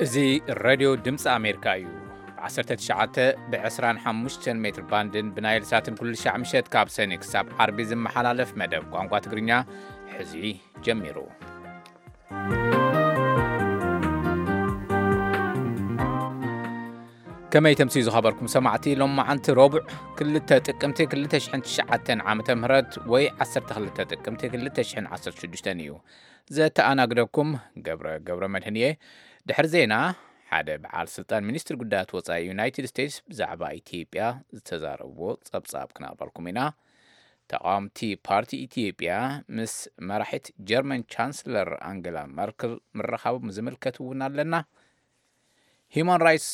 እዚ ሬድዮ ድምፂ ኣሜሪካ እዩ። ብ19 ብ25 ሜትር ባንድን ብናይል ሳትን ኩሉ ሻዕ ምሸት ካብ ሰኒ ክሳብ ዓርቢ ዝመሓላለፍ መደብ ቋንቋ ትግርኛ ሕዚ ጀሚሩ። ከመይ ተምስዩ ዝኸበርኩም ሰማዕቲ፣ ሎም መዓንቲ ረቡዕ ክልተ ጥቅምቲ ክልተ ሽሕን ትሽዓተን ዓመተ ምህረት ወይ ዓሰርተ ክልተ ጥቅምቲ ክልተ ሽሕን ዓሰርተ ሽዱሽተን እዩ። ዘተኣናግደኩም ገብረ ገብረ መድህን እየ። ድሕሪ ዜና፣ ሓደ በዓል ስልጣን ሚኒስትሪ ጉዳያት ወጻኢ ዩናይትድ ስቴትስ ብዛዕባ ኢትዮጵያ ዝተዛረብዎ ጸብጻብ ክነቕርበልኩም ኢና። ተቓወምቲ ፓርቲ ኢትዮጵያ ምስ መራሒት ጀርመን ቻንስለር ኣንገላ መርክል ምርኻቦም ዝምልከት እውን ኣለና። ሂማን ራይትስ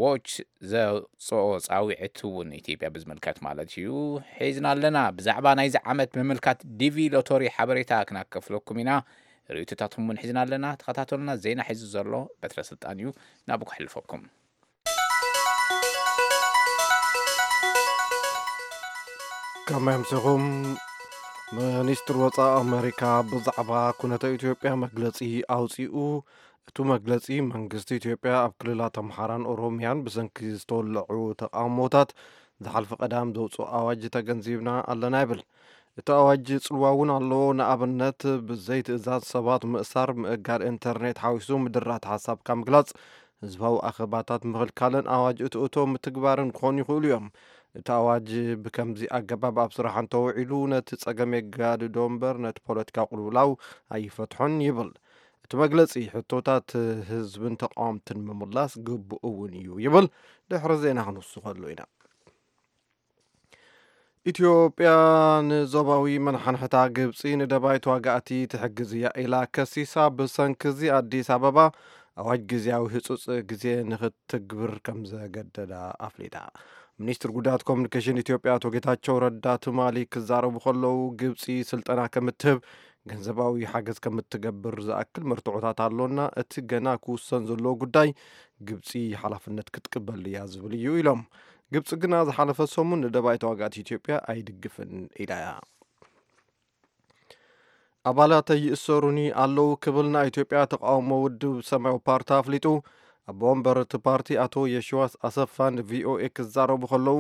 ዎች ዘውፅኦ ፃውዒት እውን ኢትዮጵያ ብዝምልከት ማለት እዩ ሒዝና ኣለና። ብዛዕባ ናይዚ ዓመት ምምልካት ዲቪ ሎቶሪ ሓበሬታ ክናከፍለኩም ኢና። ርእይቶታትኩም እውን ሒዝና ኣለና። ተኸታተሉና። ዜና ሒዙ ዘሎ በትረ ስልጣን እዩ። ናብኡ ክሕልፈኩም። ከመይ ኣምሲኹም? ሚኒስትሪ ወፃኢ ኣሜሪካ ብዛዕባ ኩነተ ኢትዮጵያ መግለፂ ኣውፂኡ። እቲ መግለፂ፣ መንግስቲ ኢትዮጵያ ኣብ ክልላት ኣምሓራን ኦሮሚያን ብሰንኪ ዝተወለዑ ተቃውሞታት ዝሓልፈ ቀዳም ዘውፅኦ ኣዋጅ ተገንዚብና ኣለና ይብል። እቲ ኣዋጅ ፅልዋ እውን ኣለዎ። ንኣብነት፣ ብዘይ ትእዛዝ ሰባት ምእሳር፣ ምእጋድ ኢንተርኔት ሓዊሱ ምድራት ሓሳብካ ምግላፅ፣ ህዝባዊ ኣኼባታት ምኽልካልን ኣዋጅ እትእቶ ምትግባርን ክኾኑ ይኽእሉ እዮም። እቲ ኣዋጅ ብከምዚ ኣገባብ ኣብ ስራሕ እንተውዒሉ፣ ነቲ ጸገም የጋድዶ እምበር፣ ነቲ ፖለቲካ ቅልውላው ኣይፈትሖን ይብል። እቲ መግለጺ፣ ሕቶታት ህዝብን ተቃወምትን ምምላስ ግቡእ እውን እዩ ይብል። ድሕሪ ዜና ክንውስኸሉ ኢና። ኢትዮጵያ ንዞባዊ መናሓንሕታ ግብጺ ንደባይ ተዋጋእቲ ትሕግዝ እያ ኢላ ከሲሳ። ብሰንኪ እዚ ኣዲስ ኣበባ ኣዋጅ ግዝያዊ ህጹጽ ግዜ ንኽትግብር ከም ዘገደዳ ኣፍሊጣ። ሚኒስትር ጉዳያት ኮሙኒኬሽን ኢትዮጵያ ኣቶ ጌታቸው ረዳ ትማሊ ክዛረቡ ከለዉ፣ ግብጺ ስልጠና ከም እትህብ፣ ገንዘባዊ ሓገዝ ከም እትገብር ዝኣክል መርትዖታት ኣሎና። እቲ ገና ክውሰን ዘለዎ ጉዳይ ግብጺ ሓላፍነት ክትቅበል እያ ዝብል እዩ ኢሎም። ግብጺ ግና ዝሓለፈ ሰሙን ንደባይ ተዋጋእቲ ኢትዮጵያ ኣይድግፍን ኢላ እያ። ኣባላተይ ይእሰሩኒ ኣለዉ ክብል ናይ ኢትዮጵያ ተቃውሞ ውድብ ሰማያዊ ፓርቲ ኣፍሊጡ። ኣቦ ወንበር እቲ ፓርቲ ኣቶ የሽዋስ ኣሰፋ ንቪኦኤ ክዛረቡ ከለዉ፣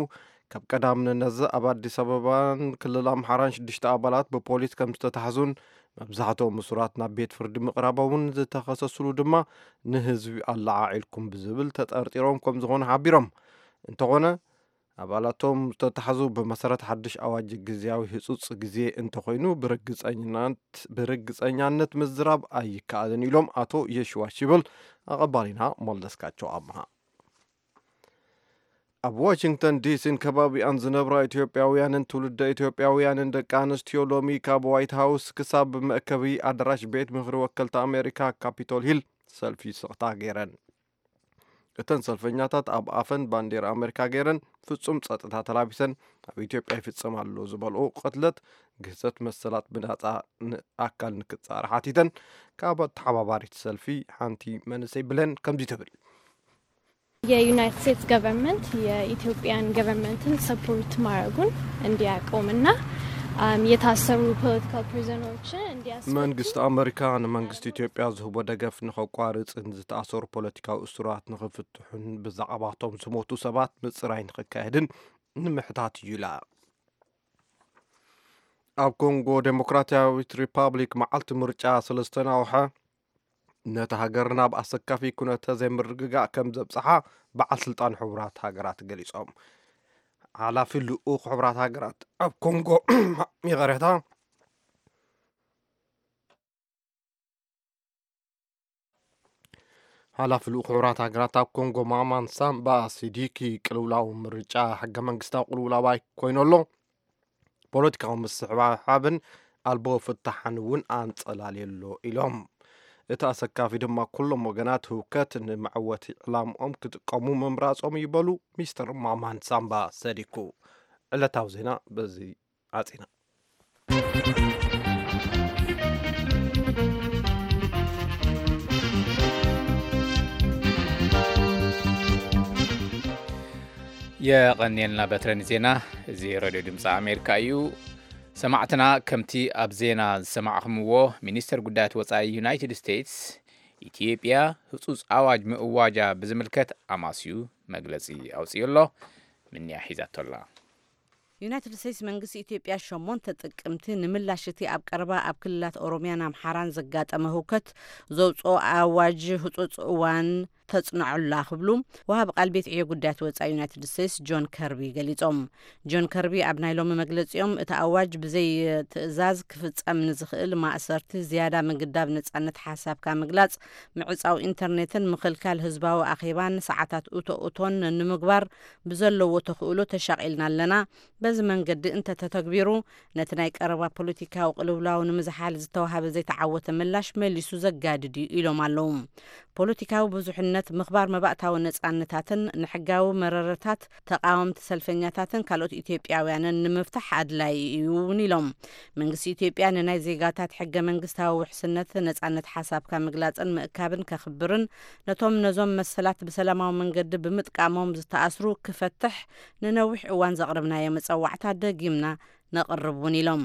ካብ ቀዳም ንነዘ ኣብ ኣዲስ ኣበባን ክልል ኣምሓራን ሽዱሽተ ኣባላት ብፖሊስ ከም ዝተታሕዙን መብዛሕትኦም እሱራት ናብ ቤት ፍርዲ ምቕራቦምን ዝተኸሰስሉ ድማ ንህዝቢ ኣለዓዒልኩም ብዝብል ተጠርጢሮም ከም ዝኾኑ ሓቢሮም። እንተኾነ፣ ኣባላቶም ዝተታሕዙ ብመሰረት ሓድሽ ኣዋጅ ግዝያዊ ህጹጽ ግዜ እንተኾይኑ ብርግጸኝናት-፣ ብርግጸኛነት ምዝራብ ኣይከኣልን ኢሎም ኣቶ የሽዋ ሽብል፣ ኣቐባሊና መለስካቸው ኣምሃ። ኣብ ዋሽንግተን ዲሲን ከባቢኣን ዝነብራ ኢትዮጵያውያንን ትውልደ ኢትዮጵያውያንን ደቂ ኣንስትዮ ሎሚ ካብ ዋይት ሃውስ ክሳብ መእከቢ ኣዳራሽ ቤት ምኽሪ ወከልቲ ኣሜሪካ ካፒቶል ሂል ሰልፊ ስቕታ ገይረን። እተን ሰልፈኛታት ኣብ ኣፈን ባንዴራ ኣሜሪካ ገይረን፣ ፍጹም ጸጥታ ተላቢሰን፣ ኣብ ኢትዮጵያ ይፍጸም ኣሎ ዝበልኦ ቅትለት፣ ግህሰት መሰላት ብናጻ ን-፣ ኣካል ንክጻረ ሓቲተን። ካብ ኣተሓባባሪት ሰልፊ ሓንቲ መንእሰይ ብለን ከምዚ ትብል። የዩናይትድ ስቴትስ ገቨርንመንት የኢትዮጵያን ገቨርንመንትን ሰፖርት ማድረጉን እንዲያቆምና፣ አም፣ የታሰሩ ፖለቲካል ፕሪዘነሮችን እንዲያስፈቱ። መንግስቲ ኣመሪካ ንመንግስቲ ኢትዮጵያ ዝህቦ ደገፍ ንኸቋርጽን ዝተኣሰሩ ፖለቲካዊ እሱራት ንኽፍትሑን ብዛዕባቶም ዝሞቱ ሰባት ምጽራይ ንኽካየድን ንምሕታት እዩ ኢላ። ኣብ ኮንጎ ዴሞክራሲያዊት ሪፓብሊክ መዓልቲ ምርጫ ስለ ዝተናውሐ፣ ነታ ሃገር ናብ ኣሰካፊ ኩነተ ዘይምርግጋእ ከም ዘብጽሓ በዓል ስልጣን ሕቡራት ሃገራት ገሊጾም። ሓላፊ ልኡኽ ሕቡራት ሃገራት ኣብ ኮንጎ፣ ይቕሬታ፣ ሓላፊ ልኡኽ ሕቡራት ሃገራት ኣብ ኮንጎ ማማን ሳምባ ሲዲኪ፣ ቅልውላው ምርጫ፣ ሕገ መንግስታዊ ቅልውላው ኣይኮይኑ ኣሎ፣ ፖለቲካዊ ምስሕሓብን ኣልቦ ፍታሕን እውን ኣንጸላልየሎ ኢሎም። እቲ ኣሰካፊ ድማ ኩሎም ወገናት ህውከት ንመዕወቲ ዕላምኦም ክጥቀሙ ምምራጾም ይበሉ ሚስተር ማማን ሳምባ ሰዲኩ። ዕለታዊ ዜና በዚ ዓጺና። የቐንየልና በትረ ንዜና። እዚ ሬድዮ ድምፂ ኣሜሪካ እዩ። ሰማዕትና፣ ከምቲ ኣብ ዜና ዝሰማዕኹምዎ፣ ሚኒስተር ጉዳያት ወፃኢ ዩናይትድ ስቴትስ ኢትዮጵያ ህጹጽ ኣዋጅ ምእዋጃ ብዝምልከት ኣማስዩ መግለጺ ኣውጺኡ ኣሎ። ምንያ ሒዛቶ ኣላ። ዩናይትድ ስቴትስ መንግስቲ ኢትዮጵያ ሸሞንተ ጥቅምቲ ንምላሽ እቲ ኣብ ቀረባ ኣብ ክልላት ኦሮሚያን ኣምሓራን ዘጋጠመ ህውከት ዘውፅኦ ኣዋጅ ህፁፅ እዋን ተፅንዖላ ክብሉ ወሃቢ ቃል ቤት ዕዮ ጉዳያት ወፃኢ ዩናይትድ ስቴትስ ጆን ከርቢ ገሊፆም። ጆን ከርቢ ኣብ ናይ ሎሚ መግለፂኦም እቲ ኣዋጅ ብዘይ ትእዛዝ ክፍፀም ንዝኽእል ማእሰርቲ፣ ዝያዳ ምግዳብ ነፃነት ሓሳብካ ምግላፅ፣ ምዕፃው ኢንተርኔትን ምኽልካል ህዝባዊ ኣኼባን ሰዓታት እቶ እቶን ንምግባር ብዘለዎ ተኽእሎ ተሻቒልና ኣለና። በዚ መንገዲ እንተተተግቢሩ፣ ነቲ ናይ ቀረባ ፖለቲካዊ ቅልውላው ንምዝሓል ዝተዋሃበ ዘይተዓወተ ምላሽ መሊሱ ዘጋድድ እዩ ኢሎም ኣለዉ። ፖለቲካዊ ብዙሕነት፣ ምኽባር መባእታዊ ነጻነታትን ንሕጋዊ መረረታት ተቃወምቲ ሰልፈኛታትን ካልኦት ኢትዮጵያውያንን ንምፍታሕ ኣድላይ እዩ እውን ኢሎም። መንግስቲ ኢትዮጵያ ንናይ ዜጋታት ሕገ መንግስታዊ ውሕስነት፣ ነጻነት ሓሳብካ ምግላጽን ምእካብን ከኽብርን ነቶም ነዞም መሰላት ብሰላማዊ መንገዲ ብምጥቃሞም ዝተኣስሩ ክፈትሕ ንነዊሕ እዋን ዘቕረብናዮ መጸዋዕታ ደጊምና ነቕርብ እውን ኢሎም።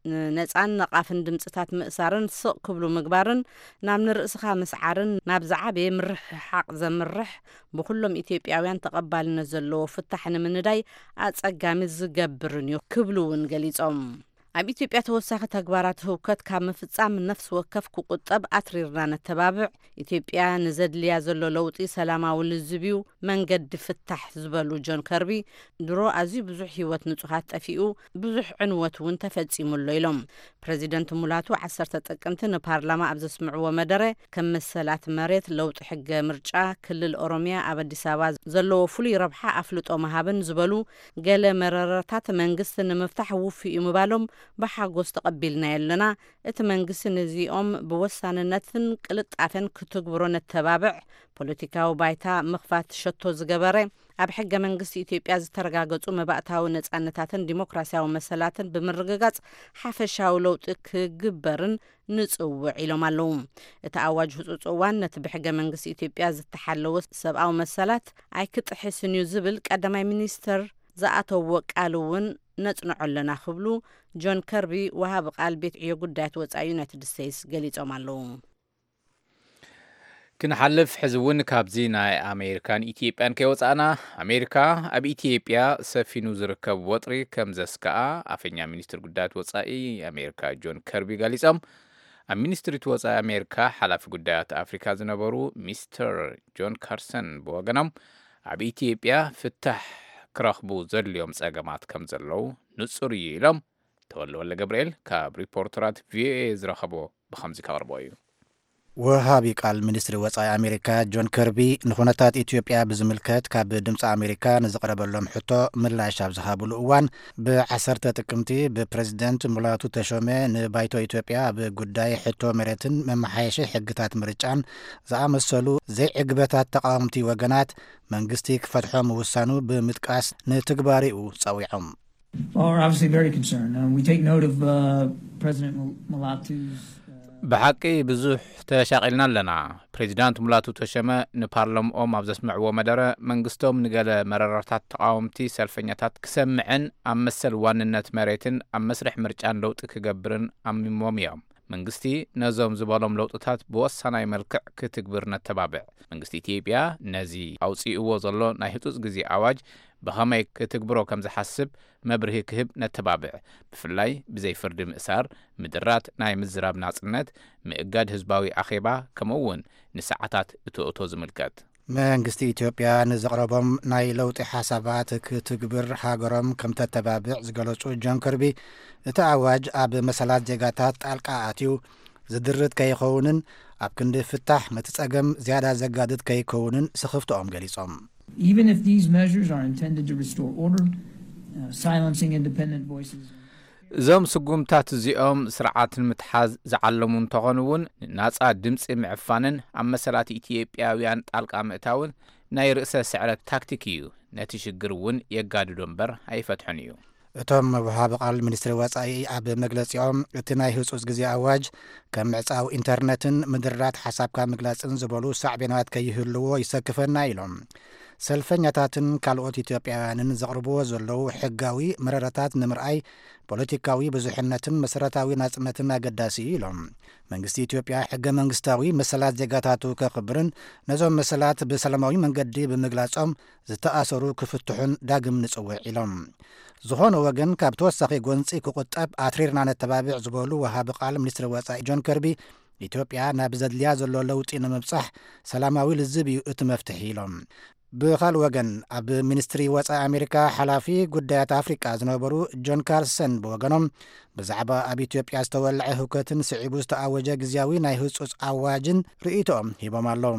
ንነጻን ነቓፍን ድምፅታት ምእሳርን ስቕ ክብሉ ምግባርን ናብ ንርእስኻ ምስዓርን ናብ ዝዓበየ ምርሕሓቕ ዘምርሕ ብኩሎም ኢትዮጵያውያን ተቐባልነት ዘለዎ ፍታሕ ንምንዳይ ኣጸጋሚ ዝገብርን እዩ ክብሉ እውን ገሊጾም። ኣብ ኢትዮጵያ ተወሳኺ ተግባራት ህውከት ካብ ምፍጻም ነፍሲ ወከፍ ክቁጠብ ኣትሪርና ነተባብዕ። ኢትዮጵያ ንዘድልያ ዘሎ ለውጢ ሰላማዊ ልዝብ እዩ መንገዲ ፍታሕ ዝበሉ ጆን ከርቢ፣ ድሮ ኣዝዩ ብዙሕ ህይወት ንጹሃት ጠፊኡ፣ ብዙሕ ዕንወት እውን ተፈጺሙ ኣሎ ኢሎም። ፕረዚደንት ሙላቱ ዓሰርተ ጥቅምቲ ንፓርላማ ኣብ ዘስምዕዎ መደረ፣ ከም መሰላት መሬት፣ ለውጢ ሕገ ምርጫ፣ ክልል ኦሮሚያ ኣብ ኣዲስ ኣበባ ዘለዎ ፍሉይ ረብሓ ኣፍልጦ ምሃብን ዝበሉ ገለ መረረታት መንግስቲ ንምፍታሕ ውፉይ እዩ ምባሎም ብሓጎስ ተቐቢልናዮ ኣለና። እቲ መንግስቲ ነዚኦም ብወሳንነትን ቅልጣፈን ክትግብሮ ነተባብዕ። ፖለቲካዊ ባይታ ምኽፋት ሸቶ ዝገበረ፣ ኣብ ሕገ መንግስቲ ኢትዮጵያ ዝተረጋገጹ መባእታዊ ነጻነታትን ዲሞክራሲያዊ መሰላትን ብምርግጋጽ ሓፈሻዊ ለውጢ ክግበርን ንጽውዕ ኢሎም ኣለዉ። እቲ ኣዋጅ ህጹጽ እዋን ነቲ ብሕገ መንግስቲ ኢትዮጵያ ዝተሓለወ ሰብኣዊ መሰላት ኣይክጥሕስን እዩ ዝብል ቀዳማይ ሚኒስተር ዝኣተዎ ቃል እውን ነጽንዖ ኣለና ክብሉ ጆን ከርቢ ወሃቢ ቃል ቤት ዕዮ ጉዳያት ወጻኢ ዩናይትድ ስቴትስ ገሊጾም ኣለዉ። ክንሓልፍ ሕዚ እውን ካብዚ ናይ ኣሜሪካን ኢትዮጵያን ከይወፃእና፣ ኣሜሪካ ኣብ ኢትዮጵያ ሰፊኑ ዝርከብ ወጥሪ ከም ዘስከኣ ኣፈኛ ሚኒስትር ጉዳያት ወፃኢ ኣሜሪካ ጆን ከርቢ ገሊፆም። ኣብ ሚኒስትሪት ወፃኢ ኣሜሪካ ሓላፊ ጉዳያት ኣፍሪካ ዝነበሩ ሚስተር ጆን ካርሰን ብወገኖም፣ ኣብ ኢትዮጵያ ፍታሕ ክረኽቡ ዘድልዮም ፀገማት ከም ዘለዉ ንፁር እዩ ኢሎም። ተወልደ ወልደ ገብርኤል ካብ ሪፖርተራት ቪኦኤ ዝረኸቦ ብኸምዚ ከቕርቦ እዩ። ወሃቢ ቃል ሚኒስትሪ ወጻኢ ኣሜሪካ ጆን ከርቢ ንኹነታት ኢትዮጵያ ብዝምልከት ካብ ድምፂ ኣሜሪካ ንዝቕረበሎም ሕቶ ምላሽ ኣብ ዝሃብሉ እዋን፣ ብ10 ጥቅምቲ ብፕሬዚደንት ሙላቱ ተሾመ ንባይቶ ኢትዮጵያ ኣብ ጉዳይ ሕቶ መሬትን መመሓየሺ ሕግታት ምርጫን ዝኣመሰሉ ዘይዕግበታት ተቃወምቲ ወገናት መንግስቲ ክፈትሖ ምውሳኑ ብምጥቃስ ንትግባሬኡ ጸዊዖም። Well, we're obviously very concerned. Um, we take note of uh, President Mulatu's. Uh... ብሓቂ ብዙሕ ተሻቒልና ኣለና። ፕሬዚዳንት ሙላቱ ተሸመ ንፓርላምኦም ኣብ ዘስምዕዎ መደረ፣ መንግስቶም ንገለ መረራታት ተቓወምቲ ሰልፈኛታት ክሰምዕን ኣብ መሰል ዋንነት መሬትን ኣብ መስርሕ ምርጫን ለውጢ ክገብርን ኣሚሞም እዮም። መንግስቲ ነዞም ዝበሎም ለውጥታት ብወሳናይ መልክዕ ክትግብር ነተባብዕ። መንግስቲ ኢትዮጵያ ነዚ ኣውፂእዎ ዘሎ ናይ ህፁፅ ግዜ ኣዋጅ ብኸመይ ክትግብሮ ከም ዝሓስብ መብርሂ ክህብ ነተባብዕ። ብፍላይ ብዘይ ፍርዲ ምእሳር፣ ምድራት ናይ ምዝራብ ናፅነት፣ ምእጋድ ህዝባዊ ኣኼባ፣ ከምኡ እውን ንሰዓታት እቶ እቶ ዝምልከት። መንግስቲ ኢትዮጵያ ንዘቕረቦም ናይ ለውጢ ሓሳባት ክትግብር ሃገሮም ከም ተተባብዕ ዝገለጹ ጆን ከርቢ፣ እቲ ኣዋጅ ኣብ መሰላት ዜጋታት ጣልቃ ኣትዩ ዝድርት ከይኸውንን ኣብ ክንዲ ፍታሕ ነቲ ጸገም ዝያዳ ዘጋድድ ከይከውንን ስኽፍትኦም ገሊጾም። Even if these measures are intended to restore order, uh, silencing independent voices. እዞም ስጉምታት እዚኦም ስርዓት ንምትሓዝ ዝዓለሙ እንተኾኑ እውን፣ ንናጻ ድምጺ ምዕፋንን ኣብ መሰላት ኢትዮጵያውያን ጣልቃ ምእታውን ናይ ርእሰ ስዕረት ታክቲክ እዩ። ነቲ ሽግር እውን የጋድዶ እምበር ኣይፈትሖን እዩ። እቶም ወሃቢ ቃል ሚኒስትሪ ወጻኢ ኣብ መግለጺኦም፣ እቲ ናይ ህጹጽ ግዜ ኣዋጅ ከም ምዕጻው ኢንተርነትን ምድራት ሓሳብካ ምግላጽን ዝበሉ ሳዕቤናት ከይህልዎ ይሰክፈና ኢሎም። ሰልፈኛታትን ካልኦት ኢትዮጵያውያንን ዘቕርብዎ ዘለዉ ሕጋዊ መረረታት ንምርኣይ ፖለቲካዊ ብዙሕነትን መሰረታዊ ናጽነትን ኣገዳሲ እዩ ኢሎም። መንግስቲ ኢትዮጵያ ሕገ መንግስታዊ መሰላት ዜጋታቱ ከኽብርን ነዞም መሰላት ብሰላማዊ መንገዲ ብምግላጾም ዝተኣሰሩ ክፍትሑን ዳግም ንጽውዕ ኢሎም። ዝኾነ ወገን ካብ ተወሳኺ ጎንጺ ክቑጠብ ኣትሪርና ነተባብዕ ዝበሉ ወሃቢ ቃል ሚኒስትሪ ወጻኢ ጆን ከርቢ፣ ኢትዮጵያ ናብ ዘድልያ ዘሎ ለውጢ ንምብጻሕ ሰላማዊ ልዝብ እዩ እቲ መፍትሒ ኢሎም። ብኻልእ ወገን ኣብ ሚኒስትሪ ወጻኢ ኣሜሪካ ሓላፊ ጉዳያት ኣፍሪቃ ዝነበሩ ጆን ካርሰን ብወገኖም ብዛዕባ ኣብ ኢትዮጵያ ዝተወልዐ ህውከትን ስዒቡ ዝተኣወጀ ግዝያዊ ናይ ህጹጽ ኣዋጅን ርእይቶኦም ሂቦም ኣለዉ።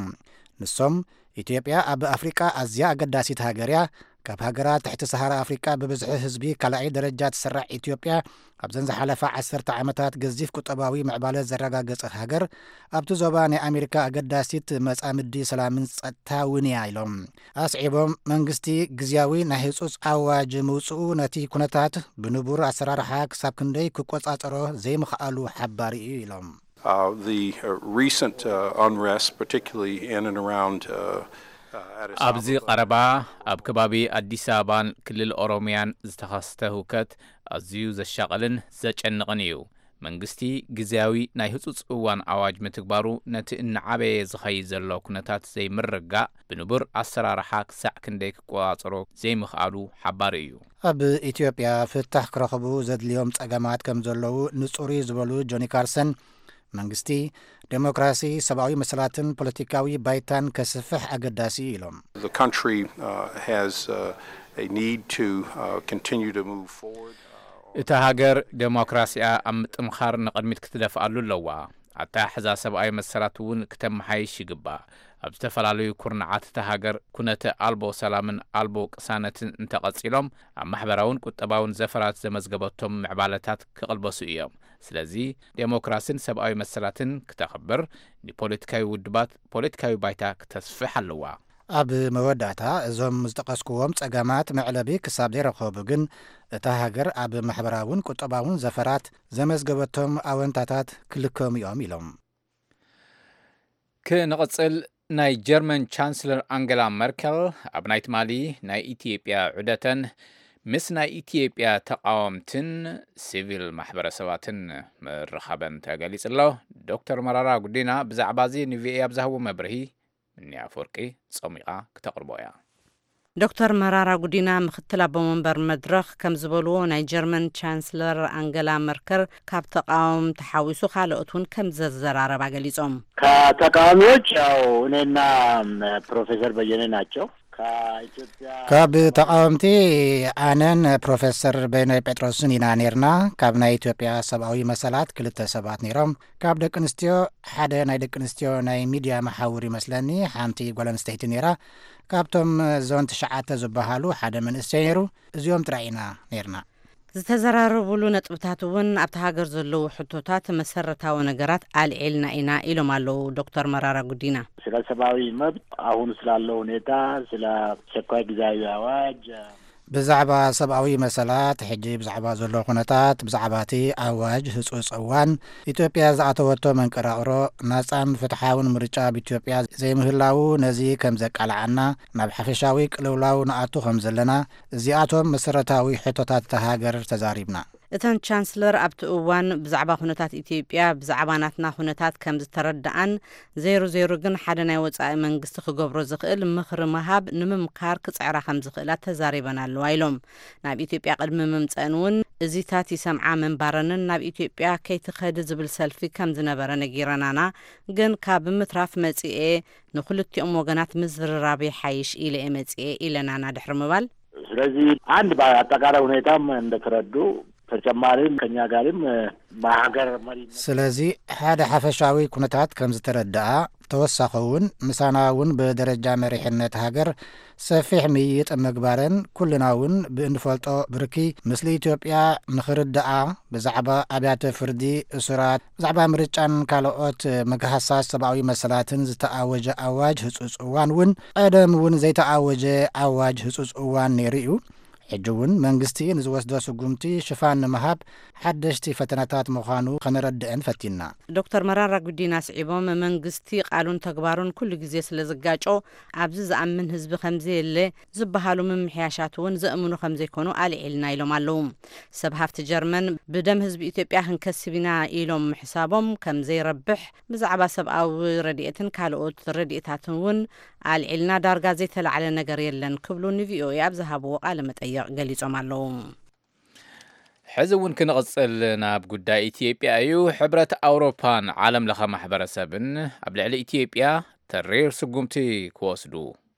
ንሶም ኢትዮጵያ ኣብ ኣፍሪቃ ኣዝያ ኣገዳሲት ሃገር እያ። ካብ ሃገራት ትሕቲ ሰሃራ ኣፍሪቃ ብብዝሒ ህዝቢ ካልኣይ ደረጃ ትስራዕ ኢትዮጵያ ኣብዘን ዝሓለፋ ዓሰርተ ዓመታት ገዚፍ ቁጠባዊ ምዕባለ ዘረጋገጸት ሃገር ኣብቲ ዞባ ናይ ኣሜሪካ ኣገዳሲት መጻምዲ ሰላምን ጸጥታ እውን እያ ኢሎም። ኣስዒቦም መንግስቲ ግዝያዊ ናይ ህጹጽ ኣዋጅ ምውጽኡ ነቲ ኩነታት ብንቡር ኣሰራርሓ ክሳብ ክንደይ ክቆጻጸሮ ዘይምኽኣሉ ሓባሪ እዩ ኢሎም። Uh, the uh, recent uh, unrest, particularly in and around uh, uh, Addis ኣብዚ Ababa. ቀረባ ኣብ ከባቢ ኣዲስ ኣበባን ክልል ኦሮሚያን ዝተኸስተ ህውከት ኣዝዩ ዘሻቕልን ዘጨንቕን እዩ። መንግስቲ ግዝያዊ ናይ ህጹጽ እዋን ኣዋጅ ምትግባሩ ነቲ እናዓበየ ዝኸይድ ዘሎ ኩነታት ዘይምርጋእ ብንቡር ኣሰራርሓ ክሳዕ ክንደይ ክቆጻጸሮ ዘይምኽኣሉ ሓባሪ እዩ። ኣብ ኢትዮጵያ ፍታሕ ክረኽቡ ዘድልዮም ጸገማት ከም ዘለዉ ንጹር እዩ ዝበሉ ጆኒ ካርሰን፣ መንግስቲ ዴሞክራሲ፣ ሰብኣዊ መሰላትን ፖለቲካዊ ባይታን ከስፍሕ ኣገዳሲ እዩ ኢሎም። The country uh, has uh, a need to uh, continue to move forward. እታ ሃገር ዴሞክራሲኣ ኣብ ምጥምኻር ንቕድሚት ክትደፍኣሉ ኣለዋ። ኣተሓሕዛ ሰብኣዊ መሰላት እውን ክተመሓይሽ ይግባእ። ኣብ ዝተፈላለዩ ኩርናዓት እታ ሃገር ኩነተ ኣልቦ ሰላምን ኣልቦ ቅሳነትን እንተቐጺሎም ኣብ ማሕበራውን ቁጠባውን ዘፈራት ዘመዝገበቶም ምዕባለታት ክቕልበሱ እዮም። ስለዚ ዴሞክራሲን ሰብኣዊ መሰላትን ክተኽብር ንፖለቲካዊ ውድባት ፖለቲካዊ ባይታ ክተስፍሕ ኣለዋ። ኣብ መወዳእታ እዞም ዝጠቐስክዎም ጸገማት መዕለቢ ክሳብ ዘይረኸቡ ግን እታ ሃገር ኣብ ማሕበራውን ቁጠባውን ዘፈራት ዘመዝገበቶም ኣወንታታት ክልከሙ እዮም ኢሎም። ክንቕጽል ናይ ጀርመን ቻንስለር ኣንገላ መርከል ኣብ ናይ ትማሊ ናይ ኢትዮጵያ ዑደተን ምስ ናይ ኢትዮጵያ ተቓወምትን ሲቪል ማሕበረሰባትን ምርኻበን ተገሊጹ ኣሎ። ዶክተር መራራ ጉዲና ብዛዕባ እዚ ንቪኦኤ ኣብ ዝሃቦ መብርሂ ምኒ ኣፈወርቂ ጸሚቓ ክተቕርቦ እያ። ዶክተር መራራ ጉዲና ምክትል ኣቦ መንበር መድረኽ ከም ዝበልዎ ናይ ጀርመን ቻንስለር ኣንገላ መርከል ካብ ተቃወምቲ ሓዊሱ ካልኦት እውን ከም ዘዘራረባ ገሊጾም። ከተቃዋሚዎች ያው እኔና ፕሮፌሰር በየነ ናቸው። ከኢትዮጵያ ካብ ተቃወምቲ ኣነን ፕሮፌሰር በየነ ጴጥሮስን ኢና ነርና። ካብ ናይ ኢትዮጵያ ሰብኣዊ መሰላት ክልተ ሰባት ነይሮም። ካብ ደቂ ኣንስትዮ ሓደ ናይ ደቂ ኣንስትዮ ናይ ሚድያ መሓውር ይመስለኒ፣ ሓንቲ ጓል ኣንስተይቲ ነይራ። ካብቶም ዞን ትሽዓተ ዝበሃሉ ሓደ መንእሰይ ነይሩ። እዚኦም ጥራይ ኢና ነርና። ዝተዘራረቡሉ ነጥብታት እውን ኣብቲ ሃገር ዘለዉ ሕቶታት መሰረታዊ ነገራት ኣልዒልና ኢና ኢሎም ኣለዉ ዶክተር መራራ ጉዲና። ስለ ሰብኣዊ መብት፣ አሁን ስላለው ሁኔታ፣ ስለ አስቸኳይ ጊዜያዊ አዋጅ፣ ብዛዕባ ሰብኣዊ መሰላት፣ ሕጂ ብዛዕባ ዘሎ ኩነታት፣ ብዛዕባ እቲ ኣዋጅ ህጹጽ እዋን፣ ኢትዮጵያ ዝኣተወቶ መንቀራቕሮ፣ ናጻን ፍትሓውን ምርጫ ኣብ ኢትዮጵያ ዘይምህላዉ ነዚ ከም ዘቃልዓና፣ ናብ ሓፈሻዊ ቅልውላው ንኣቱ ከም ዘለና፣ እዚኣቶም መሰረታዊ ሕቶታት እታ ሃገር ተዛሪብና። እተን ቻንስለር ኣብቲ እዋን ብዛዕባ ኩነታት ኢትዮጵያ ብዛዕባ ናትና ኩነታት ከም ዝተረድኣን፣ ዘይሩ ዘይሩ ግን ሓደ ናይ ወጻኢ መንግስቲ ክገብሮ ዝኽእል ምኽሪ ምሃብ ንምምካር ክጽዕራ ከም ዝኽእላ ተዛሪበን ኣለዋ ኢሎም። ናብ ኢትዮጵያ ቅድሚ ምምጸእን እውን እዚታት ይሰምዓ ምንባረንን ናብ ኢትዮጵያ ከይትኸዲ ዝብል ሰልፊ ከም ዝነበረ ነጊረናና፣ ግን ካብ ምትራፍ መጺኤ ንክልቲኦም ወገናት ምዝርራብ ይሓይሽ ኢለ እየ መጺኤ ኢለናና ድሕሪ ምባል፣ ስለዚህ አንድ በአጠቃላይ ሁኔታም እንደተረዱ ተጨማሪም ከኛ ጋርም በሀገር መሪነት ስለዚ ሓደ ሓፈሻዊ ኩነታት ከም ዝተረድኣ፣ ተወሳኺ እውን ምሳና እውን ብደረጃ መሪሕነት ሃገር ሰፊሕ ምይይጥ ምግባረን፣ ኩልና እውን ብእንፈልጦ ብርኪ ምስሊ ኢትዮጵያ ንኽርድኣ ብዛዕባ ኣብያተ ፍርዲ፣ እሱራት፣ ብዛዕባ ምርጫን ካልኦት ምግሃሳት ሰብኣዊ መሰላትን ዝተኣወጀ ኣዋጅ ህጹጽ እዋን እውን ቀደም እውን ዘይተኣወጀ ኣዋጅ ህጹጽ እዋን ነይሩ እዩ። ሕጂ እውን መንግስቲ ንዝወስዶ ስጉምቲ ሽፋን ንምሃብ ሓደሽቲ ፈተነታት ምዃኑ ከነረድእን ፈቲና። ዶክተር መራራ ጉዲና ስዒቦም፣ መንግስቲ ቃሉን ተግባሩን ኩሉ ግዜ ስለ ዝጋጮ፣ ኣብዚ ዝኣምን ህዝቢ ከምዘየለ ዝበሃሉ ምምሕያሻት እውን ዘእምኑ ከምዘይኮኑ ኣልዒልና ኢሎም ኣለዉ። ሰብ ሃፍቲ ጀርመን፣ ብደም ህዝቢ ኢትዮጵያ ክንከስብ ኢና ኢሎም ምሕሳቦም ከምዘይረብሕ፣ ብዛዕባ ሰብኣዊ ረድኤትን ካልኦት ረድኤታትን እውን ኣልዒልና፣ ዳርጋ ዘይተላዕለ ነገር የለን ክብሉ ንቪኦኤ ኣብ ዝሃብዎ ቃለ መጠይቕ ገሊጾም ኣለዉ። ሕዚ እውን ክንቕጽል ናብ ጉዳይ ኢትዮጵያ እዩ። ሕብረት ኣውሮፓን ዓለም ለኸ ማሕበረሰብን ኣብ ልዕሊ ኢትዮጵያ ተሪር ስጉምቲ ክወስዱ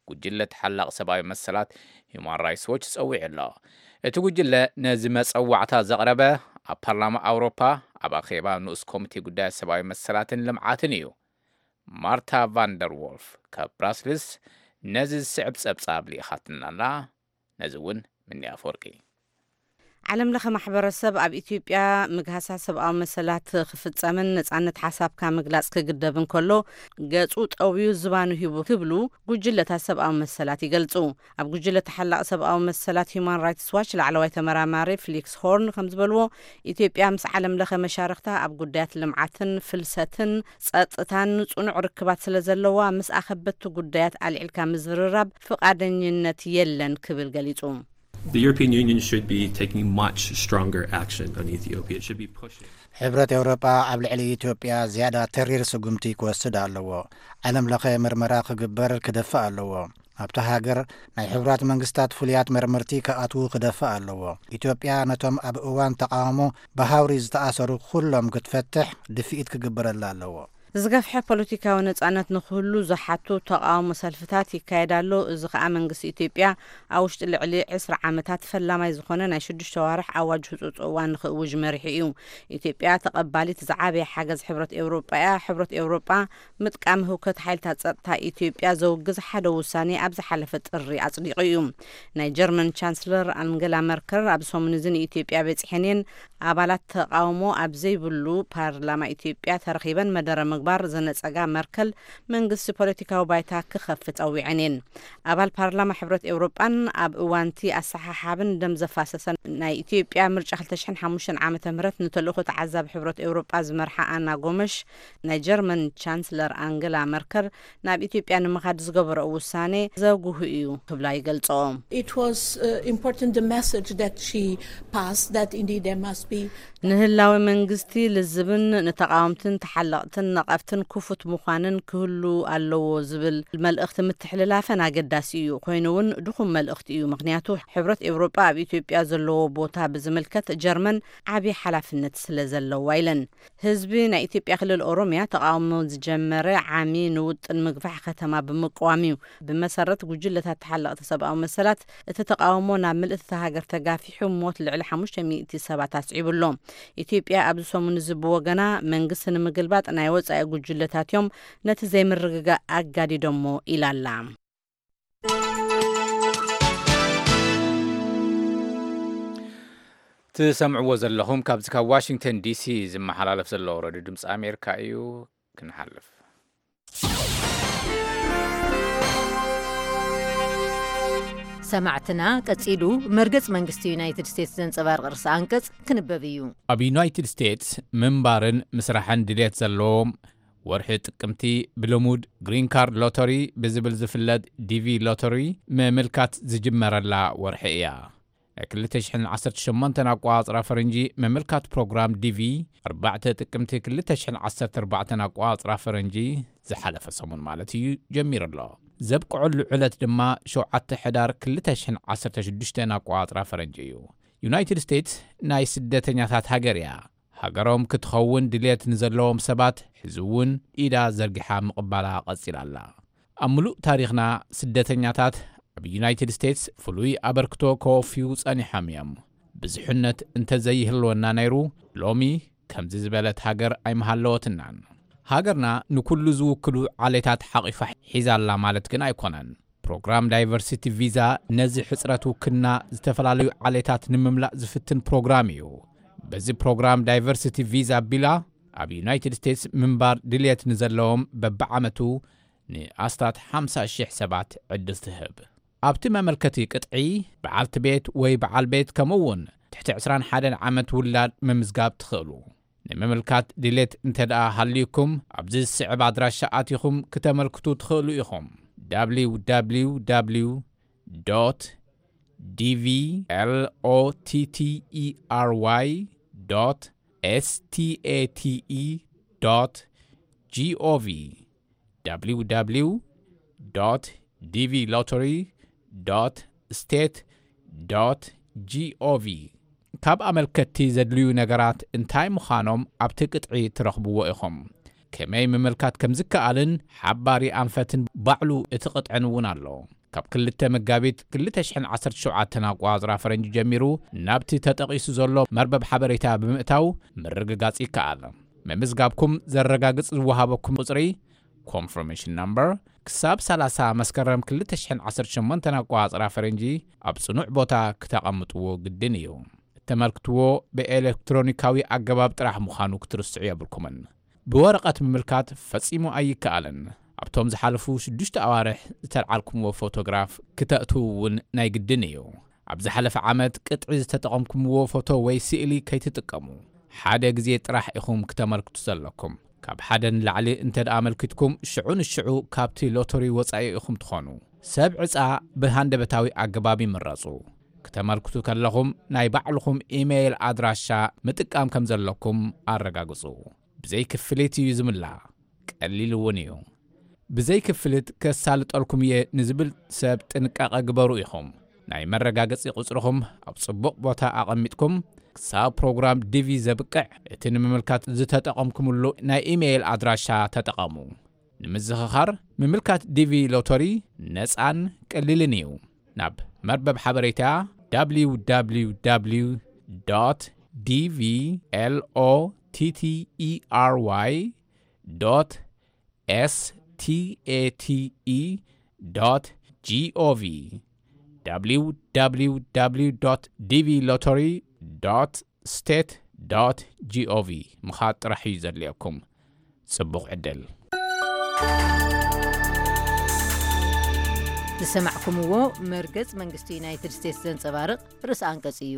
ጉጅለ ተሓላቕ ሰብኣዊ መሰላት ሂውማን ራይትስ ዎች ጸዊዑ ኣሎ። እቲ ጉጅለ ነዚ መጸዋዕታ ዘቕረበ ኣብ ፓርላማ ኣውሮፓ ኣብ ኣኼባ ንኡስ ኮሚቴ ጉዳያት ሰብኣዊ መሰላትን ልምዓትን እዩ። ማርታ ቫንደር ዎልፍ ካብ ብራስልስ ነዚ ዝስዕብ ጸብጻብ ልኢኻትልና ኣላ። ነዚ እውን ምኒ ኣፈወርቂ። ዓለም ለኸ ማሕበረሰብ ኣብ ኢትዮጵያ ምግሃሳት ሰብኣዊ መሰላት ክፍጸምን ነጻነት ሓሳብካ ምግላጽ ክግደብ እንከሎ፣ ገጹ ጠውዩ ዝባኑ ሂቡ ክብሉ ጉጅለታት ሰብኣዊ መሰላት ይገልጹ። ኣብ ጉጅለ ተሓላቒ ሰብኣዊ መሰላት ሂውማን ራይትስ ዋች ላዕለዋይ ተመራማሪ ፍሊክስ ሆርን ከም ዝበልዎ፣ ኢትዮጵያ ምስ ዓለም ለኸ መሻርክታ ኣብ ጉዳያት ልምዓትን ፍልሰትን ጸጥታን ጽኑዕ ርክባት ስለ ዘለዋ፣ ምስ ኣኸበቲ ጉዳያት ኣልዒልካ ምዝርራብ ፍቓደኝነት የለን ክብል ገሊጹ። The European Union should be taking much stronger action on Ethiopia. It should be pushing. ሕብረት ኤውሮጳ ኣብ ልዕሊ ኢትዮጵያ ዝያዳ ተሪር ስጉምቲ ክወስድ ኣለዎ። ዓለም ለኸ ምርመራ ክግበር ክደፍእ ኣለዎ። ኣብታ ሃገር ናይ ሕቡራት መንግስታት ፍሉያት መርመርቲ ክኣትዉ ክደፍእ ኣለዎ። ኢትዮጵያ ነቶም ኣብ እዋን ተቓውሞ ብሃውሪ ዝተኣሰሩ ኩሎም ክትፈትሕ ድፍኢት ክግበረላ ኣለዎ። ዝገፍሐ ፖለቲካዊ ነጻነት ንክህሉ ዝሓቱ ተቓውሞ ሰልፍታት ይካየድ ኣሎ። እዚ ከኣ መንግስቲ ኢትዮጵያ ኣብ ውሽጢ ልዕሊ ዕስራ ዓመታት ፈላማይ ዝኾነ ናይ ሽዱሽተ ዋርሕ ኣዋጅ ህጹጽ እዋን ንክእውጅ መሪሑ እዩ። ኢትዮጵያ ተቐባሊት ዝዓበየ ሓገዝ ሕብረት ኤውሮጳ እያ። ሕብረት ኤውሮጳ ምጥቃም ህውከት ሓይልታት ጸጥታ ኢትዮጵያ ዘውግዝ ሓደ ውሳኔ ኣብ ዝሓለፈ ጥሪ ኣጽዲቑ እዩ። ናይ ጀርመን ቻንስለር ኣንገላ መርከል ኣብ ሰሙን እዚ ንኢትዮጵያ በጺሐን እየን። ኣባላት ተቓውሞ ኣብ ዘይብሉ ፓርላማ ኢትዮጵያ ተረኺበን መደረ ምግባር ዘነጸጋ መርከል፣ መንግስቲ ፖለቲካዊ ባይታ ክኸፍት ጸዊዐን እየን። ኣባል ፓርላማ ሕብረት ኤውሮጳን ኣብ እዋንቲ ኣሰሓሓብን ደም ዘፋሰሰን ናይ ኢትዮጵያ ምርጫ ክልተ ሽሕን ሓሙሽተን ዓመተ ምህረት ንተልእኾ ተዓዛቢ ሕብረት ኤውሮጳ ዝመርሓ ኣና ጎመሽ፣ ናይ ጀርመን ቻንስለር ኣንገላ መርከል ናብ ኢትዮጵያ ንምኻድ ዝገበረኦ ውሳኔ ዘጉህ እዩ ክብላ ይገልጾ። It was uh, important the message that she passed, that indeed there must be ንህላወ መንግስቲ ልዝብን ንተቓወምትን ተሓለቕትን ነቐፍትን ክፉት ምዃንን ክህሉ ኣለዎ ዝብል መልእኽቲ ምትሕልላፈን ኣገዳሲ እዩ። ኮይኑ እውን ድኹም መልእኽቲ እዩ። ምኽንያቱ ሕብረት ኤውሮጳ ኣብ ኢትዮጵያ ዘለዎ ቦታ ብዝምልከት ጀርመን ዓቢ ሓላፍነት ስለ ዘለዋ ኢለን። ህዝቢ ናይ ኢትዮጵያ ክልል ኦሮምያ ተቓውሞ ዝጀመረ ዓሚ ንውጥን ምግፋሕ ከተማ ብምቅዋም እዩ። ብመሰረት ጉጅለታት ተሓለቕቲ ሰብኣዊ መሰላት፣ እቲ ተቓውሞ ናብ ምልእቲ እታ ሃገር ተጋፊሑ ሞት ልዕሊ ሓሙሽተ ሚእቲ ሰባት ኣስዒቡ ኣሎ። ኢትዮጵያ ኣብዚ ሰሙን እዚ ብወገና መንግስቲ ንምግልባጥ ናይ ወጻኢ ጉጅለታት እዮም ነቲ ዘይምርግጋእ ኣጋዲዶሞ ኢላ ኣላ። ትሰምዕዎ ዘለኹም ካብዚ ካብ ዋሽንግተን ዲሲ ዝመሓላለፍ ዘሎ ሬድዮ ድምፂ ኣሜሪካ እዩ። ክንሓልፍ ሰማዕትና፣ ቀጺሉ መርገጽ መንግስቲ ዩናይትድ ስቴትስ ዘንጸባርቕ ርእሰ ኣንቀጽ ክንበብ እዩ። ኣብ ዩናይትድ ስቴትስ ምንባርን ምስራሕን ድልየት ዘለዎም፣ ወርሒ ጥቅምቲ ብልሙድ ግሪን ካርድ ሎተሪ ብዝብል ዝፍለጥ ዲቪ ሎተሪ ምምልካት ዝጅመረላ ወርሒ እያ። ናይ ክልተ ሽሕን ዓሰርተ ሸሞንተን ኣቆጻጽራ ፈረንጂ ምምልካት ፕሮግራም ዲቪ ኣርባዕተ ጥቅምቲ ክልተ ሽሕን ዓሰርተ ኣርባዕተን ኣቆጻጽራ ፈረንጂ ዝሓለፈ ሰሙን ማለት እዩ ጀሚሩ ኣሎ። ዘብቅዐሉ ዕለት ድማ ሸውዓተ ሕዳር ክልተ ሽሕን ዓሰርተ ሽዱሽተን ኣቆጻጽራ ፈረንጂ እዩ። ዩናይትድ ስቴትስ ናይ ስደተኛታት ሃገር እያ። ሃገሮም ክትኸውን ድልየት ንዘለዎም ሰባት ሕዚ እውን ኢዳ ዘርጊሓ ምቕባላ ቀጺላ ኣላ። ኣብ ምሉእ ታሪኽና ስደተኛታት ኣብ ዩናይትድ ስቴትስ ፍሉይ ኣበርክቶ ከወፍዩ ጸኒሖም እዮም። ብዙሕነት እንተዘይህልወና ነይሩ ሎሚ ከምዚ ዝበለት ሃገር ኣይምሃለወትናን። ሃገርና ንኩሉ ዝውክሉ ዓሌታት ሓቒፋ ሒዛ ኣላ ማለት ግን ኣይኮነን። ፕሮግራም ዳይቨርሲቲ ቪዛ ነዚ ሕጽረት ውክልና ዝተፈላለዩ ዓሌታት ንምምላእ ዝፍትን ፕሮግራም እዩ። በዚ ፕሮግራም ዳይቨርሲቲ ቪዛ ኣቢላ ኣብ ዩናይትድ ስቴትስ ምንባር ድልየት ንዘለዎም በብዓመቱ ንኣስታት ሓምሳ ሽሕ ሰባት ዕድል ትህብ። ኣብቲ መመልከቲ ቅጥዒ በዓልቲ ቤት ወይ በዓል ቤት ከምኡ እውን ትሕቲ ዕስራን ሓደን ዓመት ውላድ ምምዝጋብ ትኽእሉ። ንምምልካት ድሌት እንተ ደኣ ሃልዩኩም፣ ኣብዚ ዝስዕብ ኣድራሻ ኣቲኹም ክተመልክቱ ትኽእሉ ኢኹም። www.dvlottery.state.gov www.dvlottery.state.gov ካብ ኣመልከትቲ ዘድልዩ ነገራት እንታይ ምዃኖም ኣብቲ ቅጥዒ ትረኽብዎ ኢኹም። ከመይ ምምልካት ከም ዝከኣልን ሓባሪ ኣንፈትን ባዕሉ እቲ ቅጥዕን እውን ኣሎ። ካብ ክልተ መጋቢት ክልተ ሽሕን ዓሰርተ ሸውዓተን ኣቋጽራ ፈረንጂ ጀሚሩ ናብቲ ተጠቒሱ ዘሎ መርበብ ሓበሬታ ብምእታው ምርግጋጽ ይከኣል። ምምዝጋብኩም ዘረጋግጽ ዝወሃበኩም ቁጽሪ፣ ኮንፈርሜሽን ናምበር፣ ክሳብ ሰላሳ መስከረም ክልተ ሽሕን ዓሰርተ ሸሞንተን ኣቋጽራ ፈረንጂ ኣብ ጽኑዕ ቦታ ክተቐምጥዎ ግድን እዩ። እተመልክትዎ ብኤሌክትሮኒካዊ ኣገባብ ጥራሕ ምዃኑ ክትርስዑ የብልኩምን። ብወረቐት ምምልካት ፈጺሙ ኣይከኣልን። ኣብቶም ዝሓለፉ ሽዱሽተ ኣዋርሕ ዝተልዓልኩምዎ ፎቶግራፍ ክተእትዉ እውን ናይ ግድን እዩ። ኣብ ዝሓለፈ ዓመት ቅጥዒ ዝተጠቐምኩምዎ ፎቶ ወይ ስእሊ ከይትጥቀሙ። ሓደ ግዜ ጥራሕ ኢኹም ክተመልክቱ ዘለኩም። ካብ ሓደ ንላዕሊ እንተ ደኣ ኣመልኪትኩም፣ ሽዑ ንሽዑ ካብቲ ሎተሪ ወጻኢ ኢኹም ትኾኑ። ሰብ ዕጻ ብሃንደበታዊ ኣገባብ ይምረጹ። ክተመልክቱ ከለኹም ናይ ባዕልኹም ኢሜይል ኣድራሻ ምጥቃም ከም ዘለኩም ኣረጋግጹ። ብዘይ ክፍሊት እዩ ዝምላእ። ቀሊል እውን እዩ። ብዘይ ክፍሊት ከሳልጠልኩም እየ ንዝብል ሰብ ጥንቃቐ ግበሩ ኢኹም። ናይ መረጋገጺ ቁጽርኹም ኣብ ጽቡቕ ቦታ ኣቐሚጥኩም፣ ክሳብ ፕሮግራም ዲቪ ዘብቅዕ እቲ ንምምልካት ዝተጠቐምኩምሉ ናይ ኢሜይል ኣድራሻ ተጠቐሙ። ንምዝኽኻር፣ ምምልካት ዲቪ ሎተሪ ነጻን ቀሊልን እዩ። ናብ መርበብ ሓበሬታ www.dvlottery.state.gov www.dvlottery.state.gov ምኻድ ጥራሕ እዩ ዘድልየኩም። ጽቡቕ ዕድል። ዝሰማዕኩምዎ መርገጽ መንግስቲ ዩናይትድ ስቴትስ ዘንጸባርቕ ርእሰ ኣንቀጽ እዩ።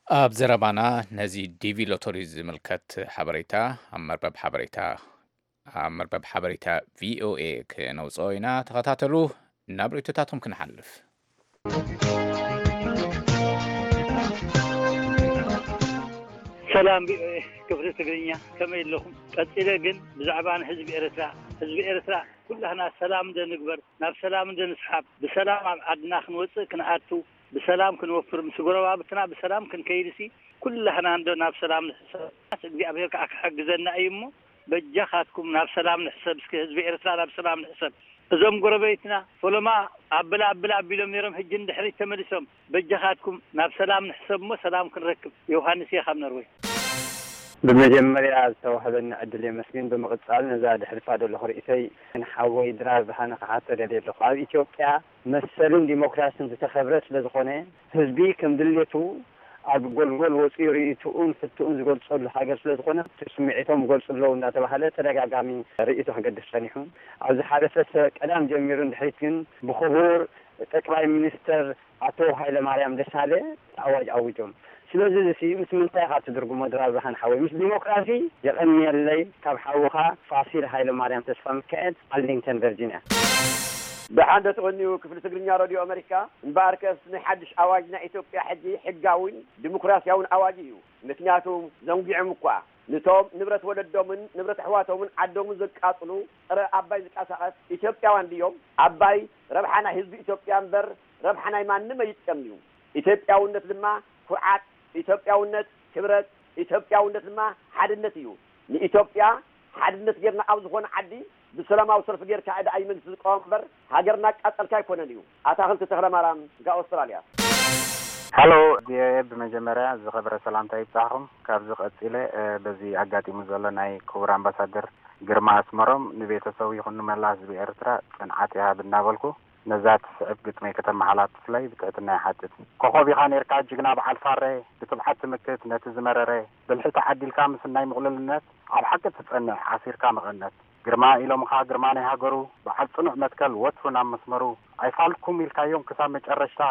ኣብ ዘረባና ነዚ ዲቪ ሎተሪ ዝምልከት ሓበሬታ ኣብ መርበብ ሓበሬታ ኣብ መርበብ ሓበሬታ ቪኦኤ ክነውፅኦ ኢና። ተኸታተሉ። ናብ ርእይቶታቶም ክንሓልፍ። ሰላም ቪኦኤ ክፍሊ ትግርኛ፣ ከመይ ኣለኹም? ቀጺለ ግን ብዛዕባ ንህዝቢ ኤርትራ፣ ህዝቢ ኤርትራ ኩላህና ሰላም እንደ ንግበር፣ ናብ ሰላም እንደ ንስሓብ፣ ብሰላም ኣብ ዓድና ክንወጽእ ክንኣቱ፣ ብሰላም ክንወፍር፣ ምስ ጎረባብትና ብሰላም ክንከይድሲ ኩላህና እንዶ ናብ ሰላም ንሕሰብ። እግዚኣብሔር ከኣ ክሕግዘና እዩ እሞ በጃኻትኩም ናብ ሰላም ንሕሰብ። እስኪ ህዝቢ ኤርትራ ናብ ሰላም ንሕሰብ። እዞም ጎረቤትና ፈለማ ኣብል ኣብል ኣቢሎም ነይሮም፣ ሕጂ ንድሕሪት ተመሊሶም። በጃኻትኩም ናብ ሰላም ንሕሰብ እሞ ሰላም ክንረክብ። ዮሃንስ እየ ካብ ኖርወይ። ብመጀመርያ ዝተዋህበኒ ዕድል የመስግን። ብምቕጻል ነዛ ድሕልፋ ዘለኹ ርእሰይ ንሓወይ ድራር ብርሃነ ክሓቶ ደልየ ኣለኹ። ኣብ ኢትዮጵያ መሰልን ዲሞክራስን ዝተኸብረ ስለ ዝኾነ ህዝቢ ከም ድሌቱ ኣብ ጎልጎል ወፂኡ ርእይትኡን ሕትኡን ዝገልፀሉ ሃገር ስለ ዝኾነ እቲ ስምዒቶም ይገልፁ ኣለዉ እንዳተባሃለ ተደጋጋሚ ርእይቶ ክገድፍ ፀኒሑ። ኣብ ዝሓለፈ ሰ- ቀዳም ጀሚሩ ንድሕሪት ግን ብክቡር ጠቅላይ ሚኒስተር ኣቶ ሃይለማርያም ደሳለ ኣዋጅ ኣዊጆም። ስለዚ እዚ ምስ ምንታይ ኢኻ ትድርግሞ ድራር ብርሃን ሓወይ? ምስ ዲሞክራሲ? የቐንየለይ ካብ ሓውኻ ፋሲል ሃይለማርያም ተስፋሚካኤል ኣርሊንግተን ቨርጂንያ። ደሓን ዶ ትቕንዩ ክፍሊ ትግርኛ ረድዮ ኣመሪካ? እምበኣርከስ ናይ ሓድሽ ኣዋጅ ናይ ኢትዮጵያ ሕጂ ሕጋዊን ዲሞክራስያውን ኣዋጅ እዩ። ምክንያቱ ዘንጊዖም እኳ ንቶም ንብረት ወለዶምን ንብረት ኣሕዋቶምን ዓዶምን ዘቃጽሉ ጸረ ኣባይ ዝንቀሳቐስ ኢትዮጵያውያን ድዮም? ኣባይ ረብሓ ናይ ህዝቢ ኢትዮጵያ እምበር ረብሓ ናይ ማንም ኣይጥቀምን እዩ። ኢትዮጵያውነት ድማ ኩርዓት፣ ኢትዮጵያውነት ክብረት፣ ኢትዮጵያውነት ድማ ሓድነት እዩ። ንኢትዮጵያ ሓድነት ጌርና ኣብ ዝኾነ ዓዲ ብሰላማዊ ሰልፊ ጌርካ እዳ ኣይ መንግስቲ ዝቃወም እምበር ሃገር እናቃጸልካ ኣይኮነን እዩ። ኣታኽልቲ ተኽለማርያም ካብ ኣውስትራልያ። ሃሎ ቪኦኤ፣ ብመጀመርያ ዝኸበረ ሰላምታ ይብጻሕኹም። ካብዚ ቀጺለ በዚ ኣጋጢሙ ዘሎ ናይ ክቡር ኣምባሳደር ግርማ ኣስመሮም ንቤተሰቡ ይኹን ንመላ ህዝቢ ኤርትራ ጽንዓት ይሃብ እናበልኩ ነዛ ትስዕብ ግጥመይ ከተመሓላልፉለይ ብትሕትና ይሓትት። ኮኾብ ኢኻ ኔርካ ጅግና በዓል ፋሬ፣ ብትብዓት ትምክት ነቲ ዝመረረ፣ ብልሒ ተዓዲልካ ምስናይ ምቕሉልነት፣ ኣብ ሓቂ ትጸንዕ ዓሲርካ መቐነት። ግርማ ኢሎምኻ ግርማ ናይ ሃገሩ፣ በዓል ጽኑዕ መትከል ወትሩ ናብ መስመሩ። ኣይፋልኩም ኢልካዮም ክሳብ መጨረሽታ፣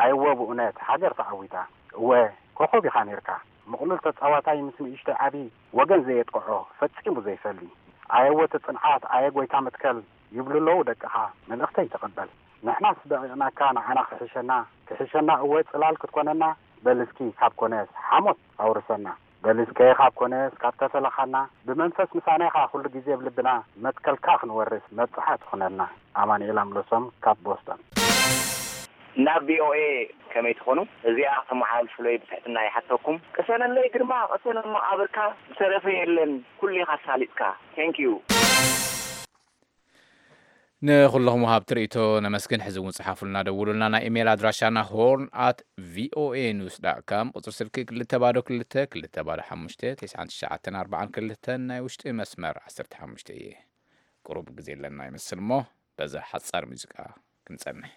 ኣየወ ብእውነት ሃገር ተዓዊታ። እወ ኮኾብ ኢኻ ኔርካ፣ ምቕሉል ተጻዋታይ ምስ ንእሽተይ ዓቢ፣ ወገን ዘየጥቅዖ፣ ፈጺሙ ዘይፈሊ። ኣየወ እቲ ጽንዓት፣ ኣየ ጎይታ መትከል፣ ይብሉ ኣለዉ ደቅኻ፣ መልእኽተይ ተቐበል። ንሕናስ ደቒቕናካ ንዓና ክሕሸና፣ ክሕሸና እወ ጽላል ክትኮነና፣ በል እስኪ ካብ ኮነስ ሓሞት ኣውርሰና። በል እስከ ካብ ኮነስ ካብ ተፈለኻና፣ ብመንፈስ ምሳና ኢኻ ኩሉ ግዜ ኣብ ልብና፣ መትከልካ ክንወርስ መብጽዓ ትኹነና። ኣማኑኤል ኣምለሶም ካብ ቦስተን። ናብ ቪ ኦ ኤ ከመይ ትኾኑ? እዚኣ ከተመሓላልፉለይ ብትሕትና ይሓተኩም። ቅሰነለይ ግርማ፣ ቅሰን መቓብርካ፣ ዝተረፈ የለን፣ ኩሉ ኢኻ ኣሳሊጥካ። Thank you። ንኹለኹም ወሃብቲ ርእይቶ ነመስግን። ሕዚ እውን ጽሓፉልና፣ ደውሉልና። ናይ ኢሜይል ኣድራሻና ሆርን ኣት ቪ ኦ ኤ ኒውስ ዳት ካም፣ ቁጽሪ ስልኪ ክልተ ባዶ ክልተ ክልተ ባዶ ሓሙሽተ ተስዓን ትሽዓተን ኣርባዓን ክልተን፣ ናይ ውሽጢ መስመር ዓሰርተ ሓሙሽተ እየ። ቁሩብ ግዜ ኣለና ይመስል እሞ በዛ ሓጻር ሙዚቃ ክንጸንሕ።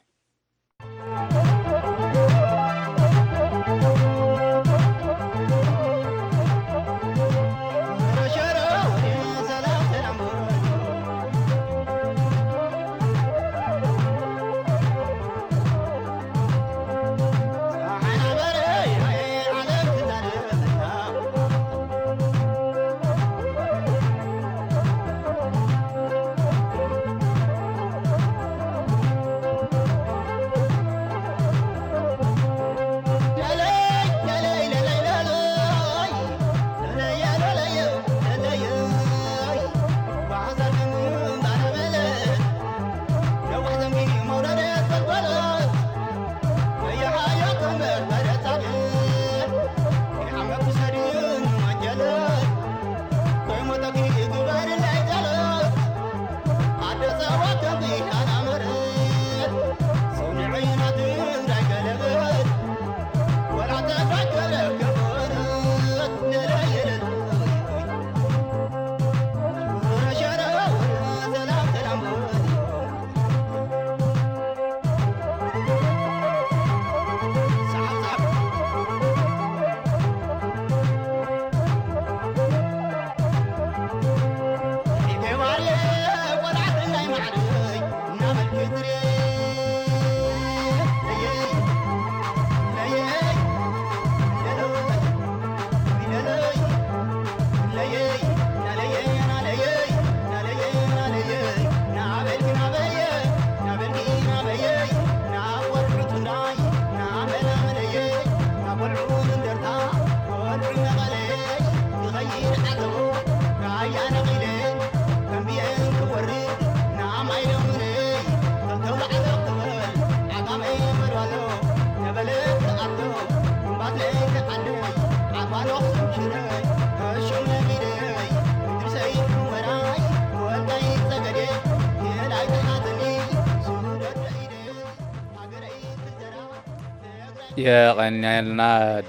የቐንየልና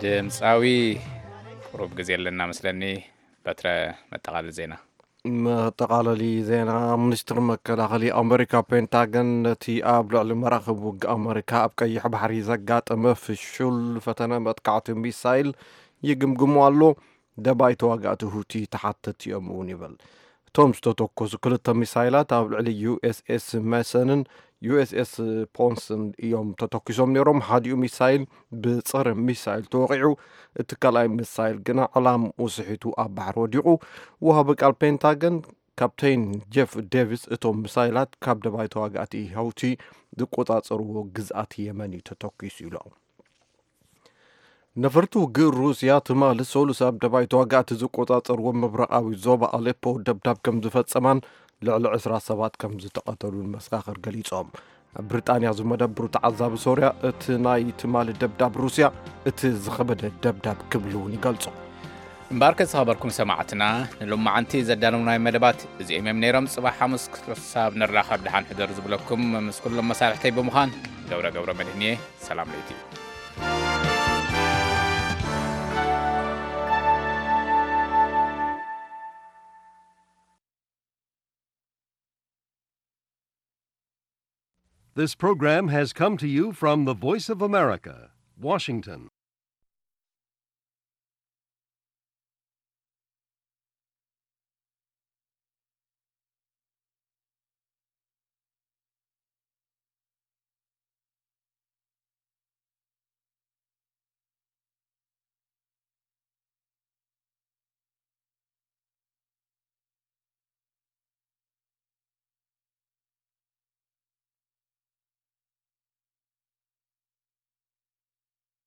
ድምፃዊ። ቁሩብ ግዜ ኣለና መስለኒ። በትረ፣ መጠቓለሊ ዜና። መጠቓለሊ ዜና። ሚኒስትሪ መከላኸሊ ኣመሪካ ፔንታገን ነቲ ኣብ ልዕሊ መራኽብ ውግእ ኣመሪካ ኣብ ቀይሕ ባሕሪ ዘጋጠመ ፍሹል ፈተነ መጥቃዕቲ ሚሳይል ይግምግሞ ኣሎ። ደባይ ተዋጋእቲ ሁቲ ተሓተቲ እዮም እውን ይብል። እቶም ዝተተኮሱ ክልተ ሚሳይላት ኣብ ልዕሊ ዩ ኤስ ኤስ መሰንን ዩ ኤስ ኤስ ፖንስን እዮም ተተኪሶም ነይሮም። ሓዲኡ ሚሳይል ብጸረ ሚሳይል ተወቒዑ፣ እቲ ካልኣይ ሚሳይል ግና ዕላምኡ ስሒቱ ኣብ ባሕሪ ወዲቑ። ወሃቢ ቃል ፔንታገን ካፕቴን ጄፍ ዴቪስ፣ እቶም ሚሳይላት ካብ ደባይ ተዋጋእቲ ሀውቲ ዝቆጻጸርዎ ግዝኣት የመን እዩ ተተኪሱ ኢሉ። ነፈርቲ ውግእ ሩስያ ትማሊ ሰሉስ ኣብ ደባይ ተዋጋእቲ ዝቆጻጸርዎ ምብራቓዊ ዞባ ኣሌፖ ደብዳብ ከም ዝፈጸማን ልዕሊ ዕስራ ሰባት ከም ዝተቐተሉን መሰኻኽር ገሊጾም። ኣብ ብሪጣንያ ዝመደብሩ ተዓዛቢ ሶርያ፣ እቲ ናይ ትማሊ ደብዳብ ሩስያ እቲ ዝኸበደ ደብዳብ ክብል እውን ይገልጾ። እምበኣርከ ዝኸበርኩም ሰማዕትና፣ ንሎማዓንቲ ዘዳለውናይ መደባት እዚኦም እዮም ነይሮም። ጽባሕ ሓሙስ ክሳብ ንራኸብ ደሓን ሕደሩ ዝብለኩም ምስ ኩሎም መሳርሕተይ ብምዃን ገብረ ገብረ መድህን እየ። ሰላም ለይቲ። This program has come to you from the Voice of America, Washington.